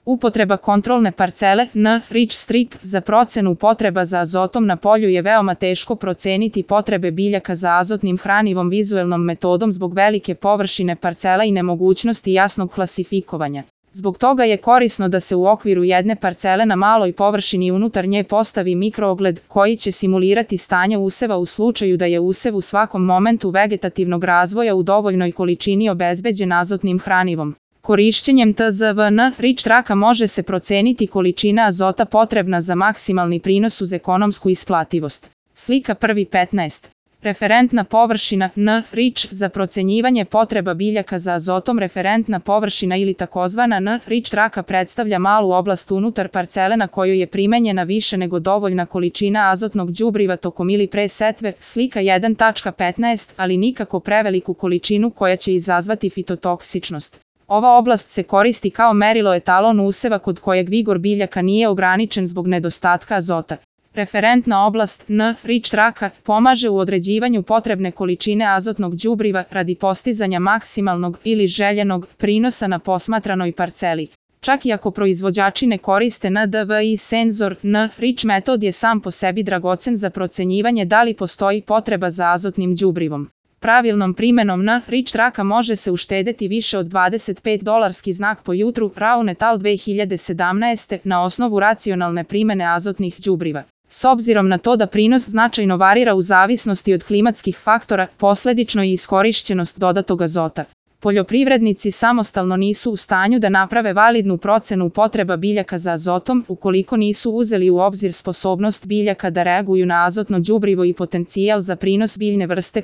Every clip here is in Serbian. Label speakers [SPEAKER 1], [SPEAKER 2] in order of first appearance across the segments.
[SPEAKER 1] Upotreba kontrolne parcele N-Rich strip za procenu potreba za azotom na polju je veoma teško proceniti potrebe biljaka za azotnim hranivom vizuelnom metodom zbog velike površine parcela i nemogućnosti jasnog klasifikovanja. Zbog toga je korisno da se u okviru jedne parcele na maloj površini unutar nje postavi mikroogled koji će simulirati stanje useva u slučaju da je usev u svakom momentu vegetativnog razvoja u dovoljnoj količini obezbeđen azotnim hranivom. Korišćenjem TZVN-Rich traka može se proceniti količina azota potrebna za maksimalni prinos uz ekonomsku isplativost. Slika 1.15. Referentna površina N-Rich za procenjivanje potreba biljaka za azotom. Referentna površina ili takozvana N-Rich traka predstavlja malu oblast unutar parcele na kojoj je primenjena više nego dovoljna količina azotnog đubriva tokom ili pre setve. Slika 1.15, ali nikako preveliku količinu koja će izazvati fitotoksičnost. Ova oblast se koristi kao merilo etalon useva kod kojeg vigor biljaka nije ograničen zbog nedostatka azota. Referentna oblast N-Rich traka pomaže u određivanju potrebne količine azotnog đubriva radi postizanja maksimalnog ili željenog prinosa na posmatranoj parceli. Čak i ako proizvođači ne koriste NDVI senzor, N-Rich metod je sam po sebi dragocen za procenjivanje da li postoji potreba za azotnim đubrivom. Pravilnom primenom N-Rich traka može se uštedeti više od $25 znak po jutru. Brown et al. 2017. na osnovu racionalne primene azotnih đubriva. S obzirom na to da prinos značajno varira u zavisnosti od klimatskih faktora, posledično i iskorišćenost dodatog azota. Poljoprivrednici samostalno nisu u stanju da naprave validnu procenu potreba biljaka za azotom ukoliko nisu uzeli u obzir sposobnost biljaka da reaguju na azotno đubrivo i potencijal za prinos biljne vrste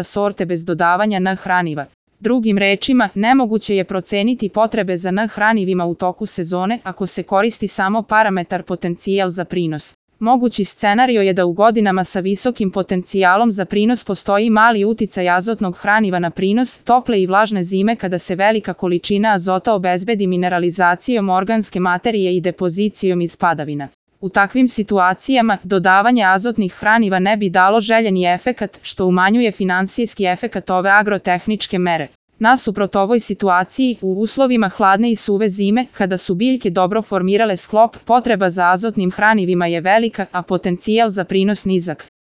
[SPEAKER 1] sorte bez dodavanja N-hraniva. Drugim rečima, nemoguće je proceniti potrebe za N-hranivima u toku sezone ako se koristi samo parametar potencijal za prinos. Mogući scenario je da u godinama sa visokim potencijalom za prinos postoji mali uticaj azotnog hraniva na prinos, tople i vlažne zime kada se velika količina azota obezbedi mineralizacijom organske materije i depozicijom iz padavina. U takvim situacijama, dodavanje azotnih hraniva ne bi dalo željeni efekat, što umanjuje finansijski efekat ove agrotehničke mere. Nasuprot ovoj situaciji, u uslovima hladne i suve zime, kada su biljke dobro formirale sklop, potreba za azotnim hranivima je velika, a potencijal za prinos nizak.